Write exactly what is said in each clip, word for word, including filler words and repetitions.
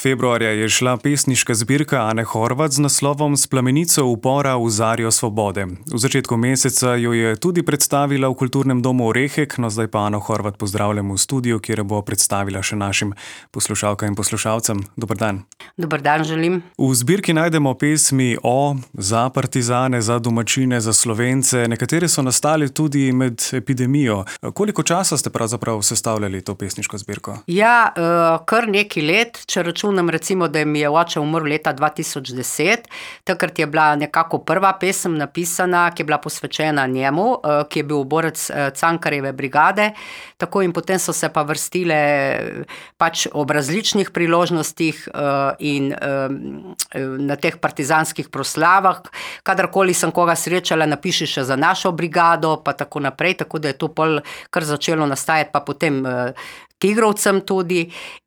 Februarja je šla pesniška zbirka Ane Horvat z naslovom S plamenico upora v zarjo svobode. V začetku meseca jo je tudi predstavila v Kulturnem domu Orehek, no zdaj pa Ano Horvat pozdravljam v studiu, kjer bo predstavila še našim poslušalkam in poslušalcem. Dober dan. Dober dan želim. V zbirki najdemo pesmi o, za partizane, za domačine, za Slovence. Nekatere so nastali tudi med epidemijo. Koliko časa ste pravzaprav sestavljali to pesniško zbirko? Ja, kar nekaj let, če računam recimo, da mi je oče umrl leta dva tisoč deset, takrat je bila nekako prva pesem napisana, ki je bila posvečena njemu, ki je bil borec Cankarjeve brigade, tako in potem so se pa vrstile pač ob različnih priložnostih in na teh partizanskih proslavah, kadarkoli sem koga srečala, napiši še za našo brigado, pa tako naprej, tako da je to pol kar začelo nastajati, pa potem Tigrovcem tudi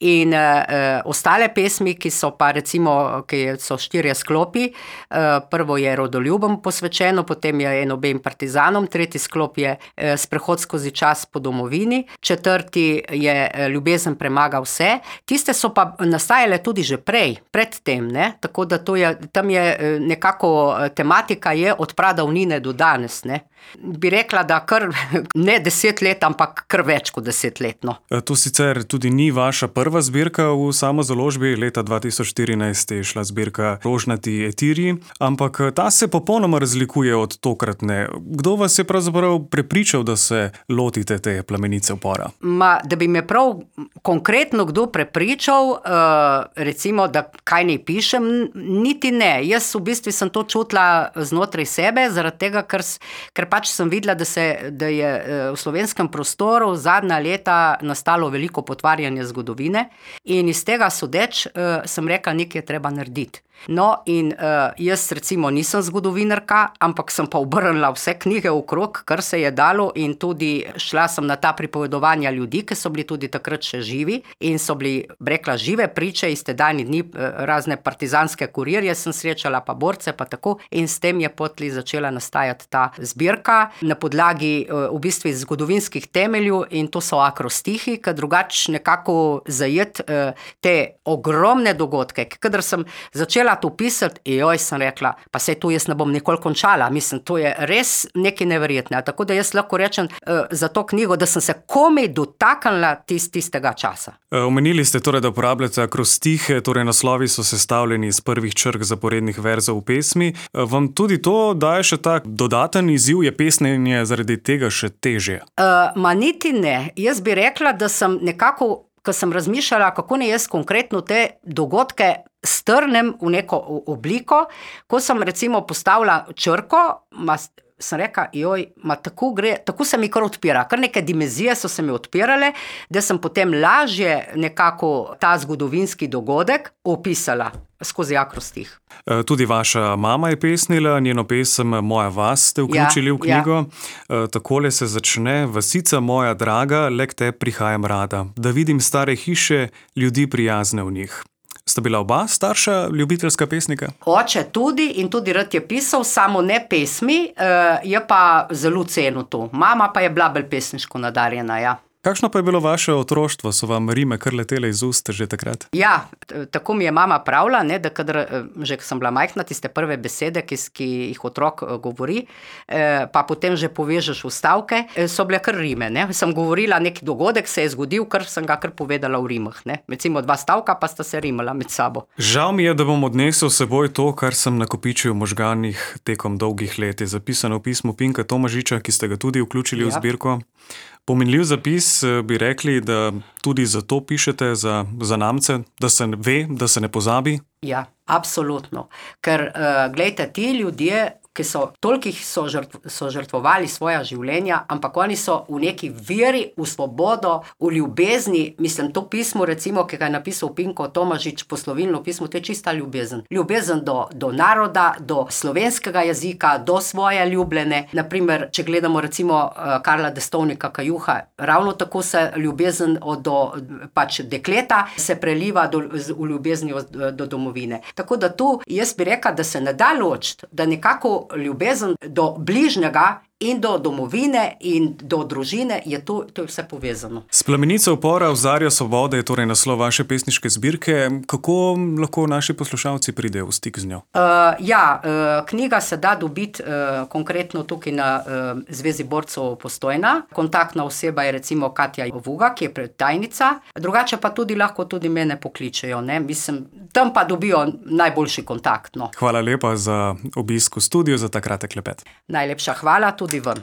in uh, ostale pesmi, ki so pa recimo, ki so štirje sklopi. Uh, prvo je Rodoljubom posvečeno, potem je Enobem partizanom, tretji sklop je uh, Sprehod skozi čas po domovini, četrti je uh, Ljubezen premaga vse. Tiste so pa nastajale tudi že prej, pred tem, ne? Tako da to je, tam je uh, nekako uh, tematika je od pradavnine do danes, ne? Bi rekla, da kar ne deset let, ampak kar več kot deset let, no. To sicer tudi ni vaša prva zbirka v samozaložbi, leta dva tisoč štirinajst je šla zbirka Rožnati etiri, ampak ta se popolnoma razlikuje od tokratne. Kdo vas je pravzaprav prepričal, da se lotite te plamenice upora? Ma, da bi me prav konkretno kdo prepričal, uh, recimo, da kaj ne pišem, niti ne. Jaz v bistvu sem to čutila znotraj sebe, zaradi tega, ker, ker pač sem videla, da, se, da je v slovenskem prostoru zadnja leta nastalo veliko potvarjanje zgodovine in iz tega sodeč uh, sem rekla, nekaj je treba narediti. No in uh, jaz recimo nisem zgodovinarka, ampak sem pa obrnila vse knjige okrog, kar se je dalo in tudi šla sem na ta pripovedovanja ljudi, ki so bili tudi takrat še živi in so bili, rekla, žive priče iz tedajni dni, razne partizanske kurirje sem srečala, pa borce, pa tako in s tem je potli začela nastajati ta zbirka na podlagi uh, v bistvu zgodovinskih temeljev in to so akrostihi, ki drugač nekako zajet uh, te ogromne dogodke, kadar sem začela to pisati, joj, sem rekla, pa sej to jaz ne bom nikoli končala, mislim, to je res nekaj neverjetne, tako da jaz lahko rečem uh, za to knjigo, da sem se komaj dotaknila tist, tistega časa. Omenili ste torej, da uporabljate akrostihe, torej naslovi so sestavljeni iz prvih črk zaporednih verzov v pesmi. Vam tudi to daje še tak dodaten izziv, je pesnjenje zaradi tega še težje? Uh, ma niti ne, jaz bi rekla, da sem nekako, ko sem razmišljala, kako ne jaz konkretno te dogodke strnem v neko obliko, ko sem recimo postavila črko, ma, sem rekla, joj, ma tako gre, tako se mi kar odpira, kar neke dimenzije so se mi odpirale, da sem potem lažje nekako ta zgodovinski dogodek opisala skozi akrostih. Tudi vaša mama je pesnila, njeno pesem Moja vas ste vključili ja, v knjigo. Ja. Takole se začne: Vasica moja draga, le k te prihajam rada, da vidim stare hiše, ljudi prijazne v njih. Sta bila oba starša ljubiteljska pesnika? Oče tudi in tudi rad je pisal, samo ne pesmi, je pa zelo cenil to. Mama pa je bila bolj pesniško nadarjena, ja. Kakšno pa je bilo vaše otroštvo? So vam rime kar letele iz ust že takrat? Ja, tako mi je mama pravila, ne, da kadar, že ko sem bila majhna, tiste prve besede, ki, ki jih otrok govori, pa potem že povežeš v stavke, so bile kar rime, ne. Sem govorila, neki dogodek se je zgodil, kar sem ga kar povedala v rimah, ne. Recimo dva stavka, pa sta se rimala med sabo. Žal mi je, da bom odnesel seboj to, kar sem nakopičil v možganih tekom dolgih let. Je zapisano v pismu Pinka Tomažiča, ki ste ga tudi vključili ja. v zbirko. Pomenljiv zapis, bi rekli, da tudi zato pišete za zanamce, da se ve, da se ne pozabi? Ja, absolutno. Ker, uh, glejte, ti ljudje, ki so tolikih so, žrtv, so žrtvovali svoja življenja, ampak oni so v neki veri, v svobodo, v ljubezni. Mislim, to pismo, recimo, ki ga je napisal Pinko Tomažič, poslovilno pismo, to je čista ljubezen. Ljubezen do, do naroda, do slovenskega jezika, do svoje ljubljene. Naprimer, če gledamo recimo Karla Destovnika Kajuha, ravno tako se ljubezen do pač dekleta se preliva do, v ljubezni do, do domovine. Tako da tu jaz bi rekla, da se ne da ločiti, da nekako ljubezen do bližnjega in do domovine in do družine, je to, to je vse povezano. Splamenice upora v Zarjo svobode je torej naslov vaše pesniške zbirke. Kako lahko naši poslušalci pridejo v stik z njo? Uh, ja, uh, knjiga se da dobiti uh, konkretno tukaj na uh, Zvezi borcev Postojna. Kontaktna oseba je recimo Katja Vuga, ki je predtajnica. Drugače pa tudi lahko tudi mene pokličejo, ne? Mislim, tam pa dobijo najboljši kontakt. No. Hvala lepa za obisk v studiu, za ta kratek klepet. Najlepša hvala tudi vam.